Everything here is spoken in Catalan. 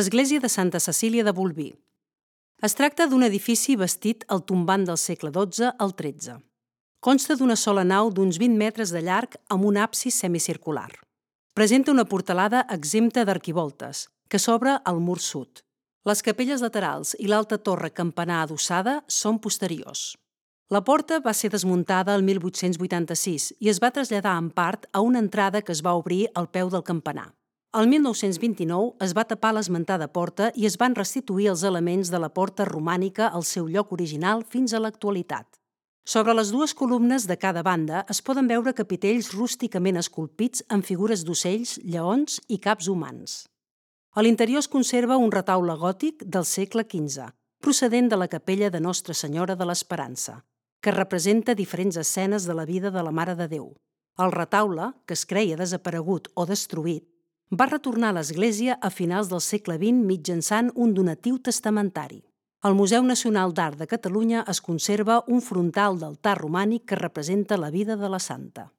Església de Santa Cecília de Bolvir. Es tracta d'un edifici bastit al tombant del segle XII al XIII. Consta d'una sola nau d'uns 20 metres de llarg amb un absis semicircular. Presenta una portalada exempta d'arquivoltes, que s'obre al mur sud. Les capelles laterals i l'alta torre campanar adossada són posteriors. La porta va ser desmuntada el 1886 i es va traslladar en part a una entrada que es va obrir al peu del campanar. El 1929 es va tapar l'esmentada porta i es van restituir els elements de la porta romànica al seu lloc original fins a l'actualitat. Sobre les dues columnes de cada banda es poden veure capitells rústicament esculpits amb figures d'ocells, lleons i caps humans. A l'interior es conserva un retaule gòtic del segle XV, procedent de la capella de Nostra Senyora de l'Esperança, que representa diferents escenes de la vida de la Mare de Déu. El retaule, que es creia desaparegut o destruït, va retornar a l'església a finals del segle XX mitjançant un donatiu testamentari. Al Museu Nacional d'Art de Catalunya es conserva un frontal d'altar romànic que representa la vida de la santa.